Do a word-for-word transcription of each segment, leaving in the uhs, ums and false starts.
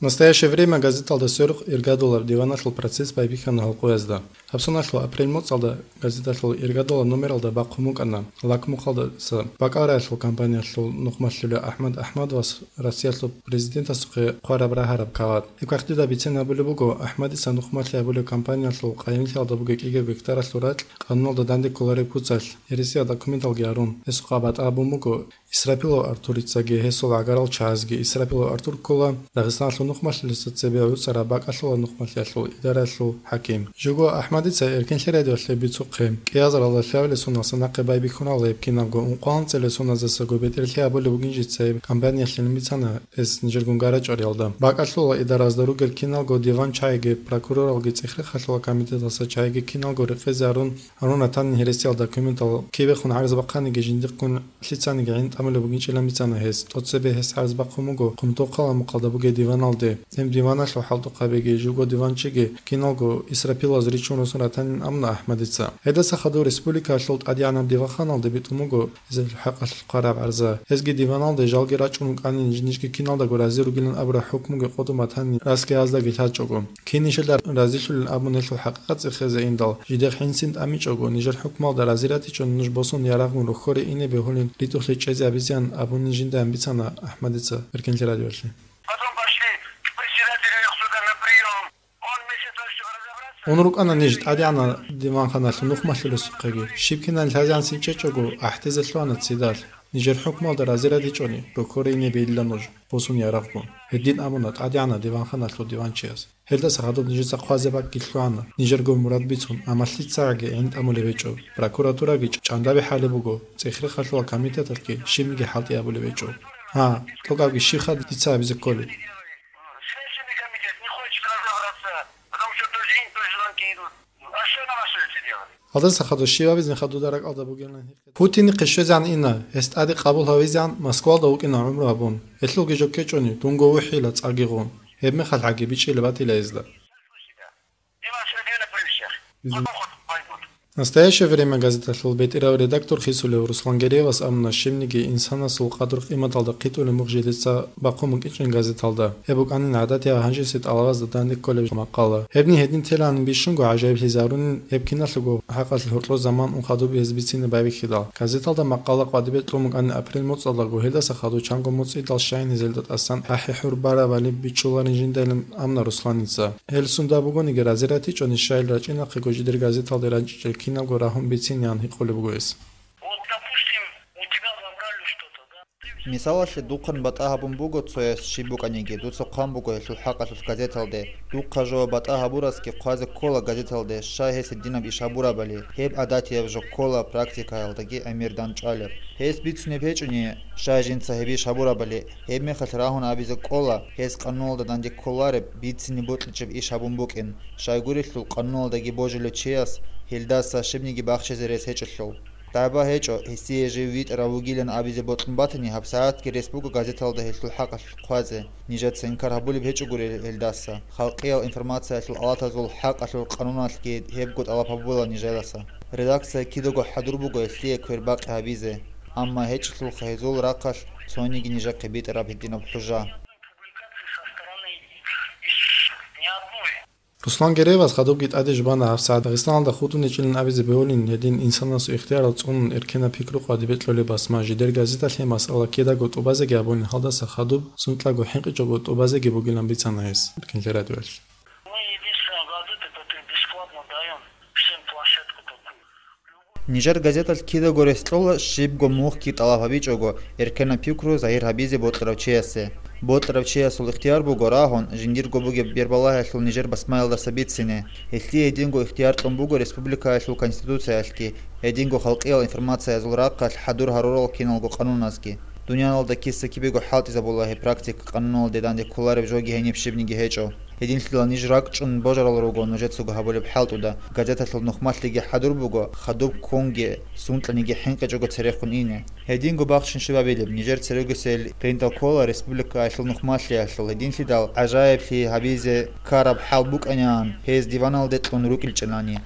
«Настоящее время» газеталда сверухъ иргадулаб диваналъул процесс байбихьана гьалкъуязда. Гьабсуналъул апрель моцӀалда газеталъул иргадулаб номералда бахъун букӀана лакмухъалдаса бакӀалдаялъул кампаниялъул нухмалъулев АхӀмад АхӀмадовас Россиялъул президентасухъе хъвараб рагьараб кагъат. Гьеб кагътида бицен абулеб буго, АхӀмадица нухмалъи гьабулеб кампаниялъул къайимлъиялда бугеб кӀиго гектаралъул ракь къануналда данде кколареб куцалъ, гьересияб документалги гьарун, гьесухъа батӀа гьабун буго Исрапилов Артурицаги гьесул гӀагарал чагӀазги. Исрапилов Артур ккола Дагъистаналъул нухмалъулесда цебе гӀуцӀараб бакӀалъулаб нухмалъиялъул идараялъул хӀаким. Живго АхӀмадица Эркенлъи радиоялъе бицухъе, кӀиазаралда лъабилеб соналъ нахъе байбихьуналде гьеб кинабго ункъоялда цӀелесуназасаго бетӀерлъи гьабулеб бугин жица гьеб кампаниялъилин бицана гьес нижер гунгарачӀориялда. БакӀалъулаб идаразда ругел киналго диван чагӀиги, прокуроралги, цӀех-рехалъулаб комитеталдаса чагӀиги киналго рекъезе гьарун, гьарун ратани гьересиялда документал кибехун гӀарз бахъаниги жиндихъгун лъицаниги гӀин тӀамулеб бугинчӀилан бицана гьес. ТӀоцебе гьес гӀарз бахъун буго Хъумтохъала мухъалда бугеб диваналде. Гьеб диваналъул хӀалтӀухъабиги, живго диванчиги киналго Исрапилаз ричун росун ратанин амуна АхӀмадица. Гьелдаса хадув республикаялъул тӀадегӀанаб диванханалде битӀун буго гьезул хӀакъалъулъ хъвараб гӀарза. Гьезги диваналде жалги рачӀун рукӀанин, нижги киналдаго рази ругилан абураб хӀукмуги къотӀун батанин, расги гьаздаги лъачӀого. Кин нижеда разилъулин абун гьелъул хӀакъикъат цӀехезе индал, жидехъ гӀинсин тӀамичӀого, нижер хӀукмалда рази ратичӀони нуж босун ярагъун рохьоре ине бегьулин ритӀухълъи чӀезе гьабизеян абунин жинда бицана АхӀмадица Эркенлъи радиоялъе. Потом пошли к председателю их суда на приём. Он вместо того, чтобы разобраться, Ун рукӀана ниж тӀадегӀанаб диванханалъул нухмалъулесухъеги. Щиб кинан лъазегӀан синчӀечӀого, гӀахӀдезе лъугьана цидалъ. Нижер хӀукмалда рази ратичӀони, рохьоре ине бегьила нуж, босун ярагъгун. Гьедин абуна тӀадегӀанаб диванханалъул диванчияс. Гьелдаса хадуб нижеца хъвазе бакӀги лъугьана, нижерго мурад бицун, амма лъицаги гӀин тӀамулеб гьечӀо, прокуратураги чӀандаби хӀалеб буго, цӀех-рехалъула комитеталъги щибниги хӀалтӀи гьабулеб гьечӀо. Гьа, тӀокӀабги щибха дица гьабизе кколеб? Следственный комитет не хочет разобраться, потому что то же им, то же звонки идут. А что нам остается делать? Гьалдаса хадуб щиб гьабизин хадуб дуда ракӀалда бугилан гьикъи. Путинихъе щвезегӀан ина, гьес тӀаде къабул гьавизегӀан Москвалда вукӀина гӀумру гьабун. Гьелъулги жо ккечӀони, дунго вухӀила цӀарги гъун. Гьебмехалъ гьаги бичӀчӀила батила гьезда. «Настоящее время» газеталъул бетӀерав редактор хисулев Руслан Гереевас абуна, щибниги инсанасул къадру-къиматалда хъитӀулеб мух жидеца бахъун букӀинчӀин газеталда. Гьеб букӀанин гӀадатияб гьанжеси тӀалабазда данде кколеб макъала. Гьебни гьедин телан бищунго гӀажаиблъизарунин гьеб киналъулго хӀакъалъулъ гьоркьор заман ун хадуб гьез бицине байбихьидал. Газеталда макъала къватӀибе кьун букӀанин апрель моцӀалдаго, гьелдаса хадуб чанго моцӀидал щайин гьезелда тӀасан ахӀи-хӀур барабали бичӀчӀуларин жиндайилан амуна Русланица. Гьел сунда бугониги рази ратичӀони, щайил рачӀинахъего жидер газеталде рачӀичӀел кинабго рагьун бицинеян гьикъулеб буго гьес. Вот, допустим, у тебя забрали что-то, да? Мисалалъе, духъан батӀа гьабун буго цояс щиб букӀаниги, дуца хъван буго гьелъул хӀакъалъулъ газеталде. Духъа жо батӀа гьабурасги хъвазе ккола газеталде, щай гьес гьединаб иш гьабурабали, гьеб гӀадатияб жо ккола, практикаялдаги гӀемер дандчӀвалеб. Гьес бицунеб гьечӀони, щай жинца гьеб иш гьабурабали, гьебмехалъ рагьун абизе ккола, гьес къануналда данде кколареб, бицине бокьичӀеб иш гьабун букӀин, щайгурелъул къануналдаги божилев чияс гьелдаса щибниги бахчизе рес гьечӀелъул. Дагьба гьечӀо, гьесие жив витӀарав вугилан абизе бокьун батани, гьабсагӀатги рес буго газеталда гьелъул хӀакъалъулъ хъвазе. Нижеца инкар гьабулеб гьечӀогури гьелдаса. Халкъиял информациялъул алатазул хӀакъалъулъ къануналъги гьебго тӀалаб гьабула нижеласа. Редакция кидаго хӀадур буго гьелъие квербакъи гьабизе. Амма гьечӀелъулха гьезул рахъалъ цониги нижехъе битӀараб гьединаб хӀужа. Руслан Гереевас хадубги тӀаде жубана гьабсагӀат Дагъистаналда хутӀун гьечӀилан абизе бегьулин гьедин инсанасул ихтиярал цӀунун эркенаб пикру къватӀибе кьолеб басма жидер газеталъе масъала кидаго тӀубазеги абунин, гьалдаса хадуб сунтӀаго хӀинкъичӀого тӀубазеги бугилан бицана гьес Эркенлъи радиоялъ. Мы единственная газета, которая бесплатно даём всем площадку такую. Нижер газеталъ кидаго рес кьола щибго мухъги тӀалаб гьабичӀого, эркенаб пикру загьир гьабизе бокьарав чиясе. Бокьарав чиясул ихтияр буго рагьун, жиндирго бугеб бербалагьиялъул нижер басмаялдаса бицине. Гьелъие гьединго ихтияр кьун буго республикаялъул Конституциялъги, гьединго халкъиял информациязул рахъалъ хӀадур гьарурал киналго къануназги. Дуниялалда киса-кибего хӀалтӀизабула гьеб практика, къануналде данде кколареб жоги гьениб щибниги гьечӀо. Гьединлъидал ниж ракӀчӀун божарал руго нужецаго гьабулеб хӀалтӀуда, газеталъул нухмалъиги хӀадур буго, хадуб ккунги, сунтӀаниги хӀинкъичӀого церехун ине. Гьединго бахчин щибабилеб, нижер церегосел принтал ккола республикаялъул нухмалъиялъул, гьединлъидал гӀажаиблъи гьабизе ккараб хӀал букӀаниан, гьез диваналде кьун рукӀинчӀелани.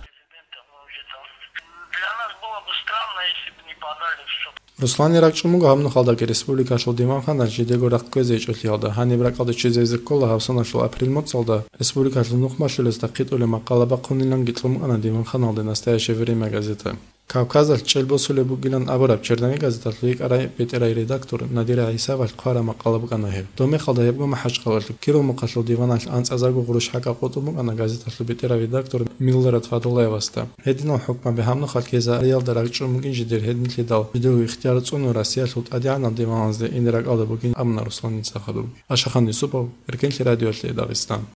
Для нас было бы странно, если бы не подали в суд. Русланил ракӀчӀун буго гьаб нухалдаги республикалъул диванханалъ жидего рахъ кквезе гьечӀолъиялда. Гьаниб ракӀалде чӀезейзе ккола гьаб соналъул апрель моцӀалда республикалъул нухмалъулесда хъитӀулеб макъалабахъуниланги кьун букӀана диванханалде «Настоящее время» газета. Кавказалъ чӀел босулеб бугилан абураб «Черновик» газеталъул йикӀарай бетӀерай редактор Надира ГӀисавалъ хъвараб макъала букӀана гьеб. Доб мехалда гьебго МахӀачхъалалъул Киров мухъалъул диваналъ анцӀазарго гъурущ хӀакъа къотӀун букӀана газеталъул бетӀерав редактор Милрат Фадуллаевасда. Гьединал хӀукмаби гьаб нухалъ ккезариялда ракӀчӀун бугин жидер гьединлъидал жидерго ихтияр цӀунун Россиялъул тӀадегӀанал диваналазде ине ракӀалда бугин абуна Русланица хадубги. Ашахан Юсупов, Эркенлъи радиоялъе, Дагъистан.